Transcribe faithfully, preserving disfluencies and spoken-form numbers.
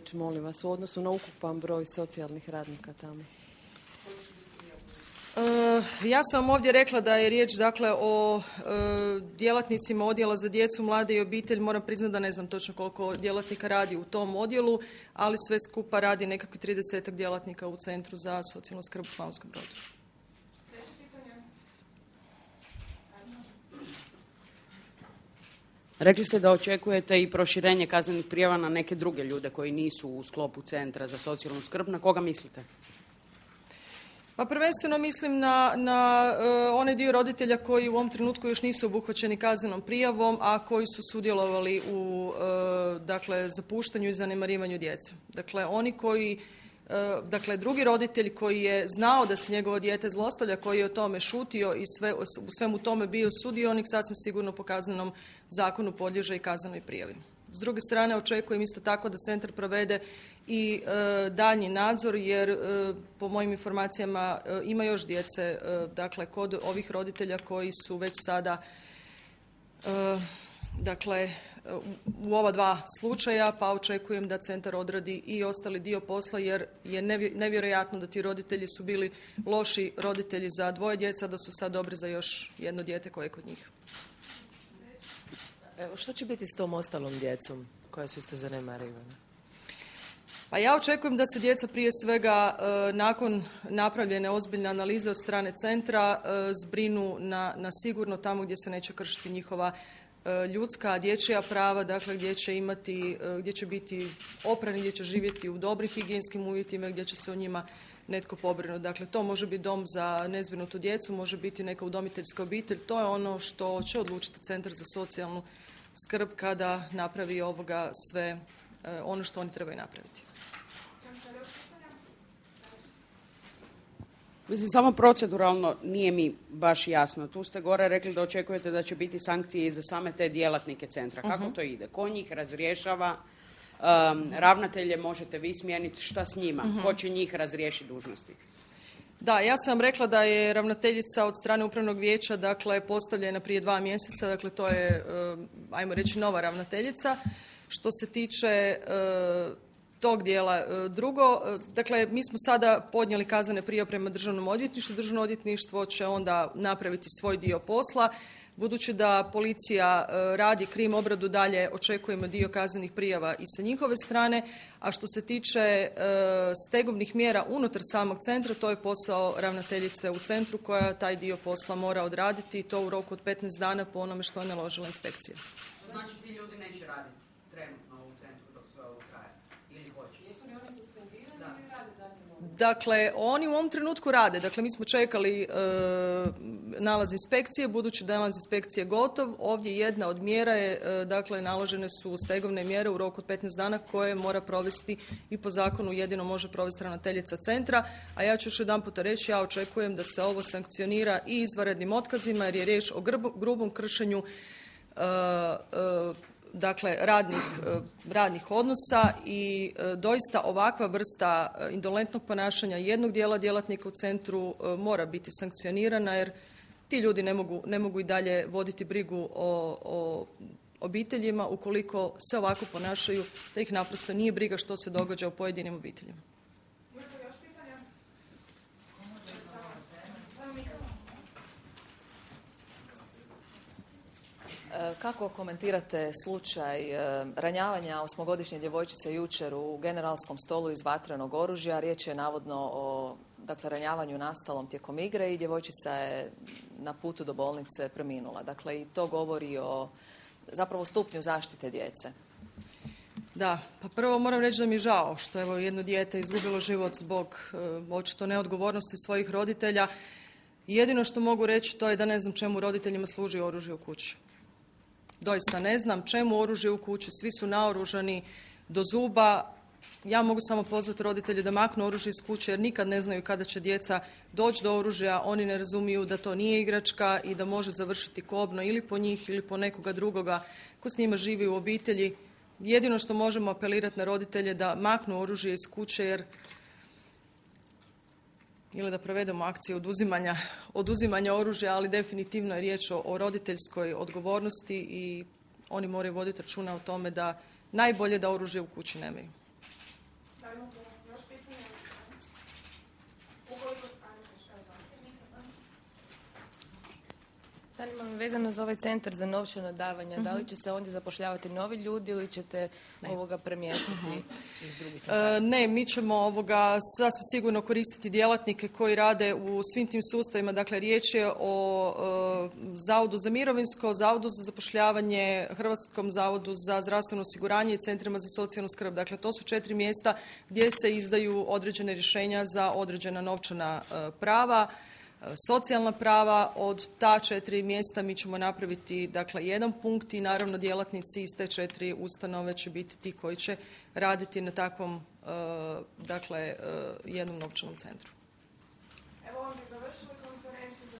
riječ, molim vas, u odnosu na ukupan broj socijalnih radnika tamo? Uh, ja sam vam ovdje rekla da je riječ dakle o uh, djelatnicima odjela za djecu, mlade i obitelj. Moram priznati da ne znam točno koliko djelatnika radi u tom odjelu, ali sve skupa radi nekakvi tridesetak djelatnika u Centru za socijalnu skrb u Slavonskom Brodu. Rekli ste da očekujete i proširenje kaznenih prijava na neke druge ljude koji nisu u sklopu Centra za socijalnu skrb. Na koga mislite? Pa prvenstveno mislim na, na uh, onaj dio roditelja koji u ovom trenutku još nisu obuhvaćeni kaznenom prijavom, a koji su sudjelovali u uh, dakle, zapuštanju i zanemarivanju djece. Dakle, oni koji, uh, dakle, drugi roditelj koji je znao da se njegovo dijete zlostavlja, koji je o tome šutio i sve, u svemu tome bio sudionik, sasvim sigurno po kaznenom zakonu podliježe i kaznenoj prijavi. S druge strane, očekujem isto tako da centar provede i e, daljnji nadzor, jer e, po mojim informacijama e, ima još djece e, dakle, kod ovih roditelja koji su već sada e, dakle, u ova dva slučaja, pa očekujem da centar odradi i ostali dio posla, jer je nevjerojatno da ti roditelji su bili loši roditelji za dvoje djeca, da su sad dobri za još jedno dijete koje je kod njih. Evo, što će biti s tom ostalom djecom koja su isto zanemarivana? Pa ja očekujem da se djeca prije svega e, nakon napravljene ozbiljne analize od strane centra e, zbrinu na, na sigurno tamo gdje se neće kršiti njihova e, ljudska, dječja prava, dakle gdje će imati, e, gdje će biti oprani, gdje će živjeti u dobrim higijenskim uvjetima, gdje će se o njima netko pobrinuti. Dakle, to može biti dom za nezbrinutu djecu, može biti neka udomiteljska obitelj. To je ono što će odlučiti Centar za socijalnu skrb kada napravi ovoga sve e, ono što oni trebaju napraviti. Mislim, samo proceduralno nije mi baš jasno. Tu ste gore rekli da očekujete da će biti sankcije i za same te djelatnike centra. Kako uh-huh. to ide? Ko njih razrješava? Um, ravnatelje možete vi smijeniti, šta s njima? Uh-huh. Ko će njih razriješiti dužnosti? Da, ja sam vam rekla da je ravnateljica od strane upravnog vijeća dakle, postavljena prije dva mjeseca, dakle to je, ajmo reći, nova ravnateljica. Što se tiče uh, tog dijela. Drugo, dakle, mi smo sada podnijeli kaznene prijave prema Državnom odvjetništvu. Državno odvjetništvo će onda napraviti svoj dio posla. Budući da policija radi krim obradu dalje, očekujemo dio kaznenih prijava i sa njihove strane. A što se tiče stegovnih mjera unutar samog centra, to je posao ravnateljice u centru koja taj dio posla mora odraditi i to u roku od petnaest dana po onome što je naložila inspekcija. Znači ti ljudi neće raditi trenutno u centru dok sve ovo traje? Ili hoće? Jesu li oni suspendirani ili rade dalje? Dakle, oni u ovom trenutku rade. Dakle, mi smo čekali e, nalaz inspekcije, budući da je nalaz inspekcije gotov. Ovdje jedna od mjera je, e, dakle, naložene su stegovne mjere u roku od petnaest dana koje mora provesti i po zakonu jedino može provesti ravnateljica centra. A ja ću još jedan puta reći, ja očekujem da se ovo sankcionira i izvanrednim otkazima jer je riječ o grb, grubom kršenju e, e, dakle radnih, radnih odnosa i e, doista ovakva vrsta indolentnog ponašanja jednog dijela djelatnika u centru e, mora biti sankcionirana jer ti ljudi ne mogu, ne mogu i dalje voditi brigu o, o obiteljima ukoliko se ovako ponašaju da ih naprosto nije briga što se događa u pojedinim obiteljima. Kako komentirate slučaj ranjavanja osmogodišnje djevojčice jučer u generalskom stolu iz vatrenog oružja? Riječ je navodno o dakle, ranjavanju nastalom tijekom igre i djevojčica je na putu do bolnice preminula. Dakle, i to govori o zapravo stupnju zaštite djece. Da, pa prvo moram reći da mi je žao što evo jedno dijete izgubilo život zbog e, očito neodgovornosti svojih roditelja. Jedino što mogu reći to je da ne znam čemu roditeljima služi oružje u kući. Doista ne znam čemu oružje u kući, svi su naoružani do zuba. Ja mogu samo pozvati roditelje da maknu oružje iz kuće jer nikad ne znaju kada će djeca doći do oružja. Oni ne razumiju da to nije igračka i da može završiti kobno ili po njih ili po nekoga drugoga ko s njima živi u obitelji. Jedino što možemo apelirati na roditelje da maknu oružje iz kuće jer ili da provedemo akciju oduzimanja, oduzimanja oružja, ali definitivno je riječ o, o roditeljskoj odgovornosti i oni moraju voditi računa o tome da najbolje da oružje u kući nemaju. Zanima me vezano za ovaj centar za novčana davanja, uh-huh. da li će se ondje zapošljavati novi ljudi ili ćete ne. ovoga premještati uh-huh. iz drugih centara? E, ne, mi ćemo ovoga sasvim sigurno koristiti djelatnike koji rade u svim tim sustavima. Dakle, riječ je o e, Zavodu za mirovinsko, Zavodu za zapošljavanje, Hrvatskom zavodu za zdravstveno osiguranje i centrima za socijalnu skrb. Dakle, to su četiri mjesta gdje se izdaju određene rješenja za određena novčana e, prava. Socijalna prava. Od ta četiri mjesta mi ćemo napraviti dakle jedan punkt i naravno djelatnici iz te četiri ustanove će biti ti koji će raditi na takvom dakle jednom novčanom centru.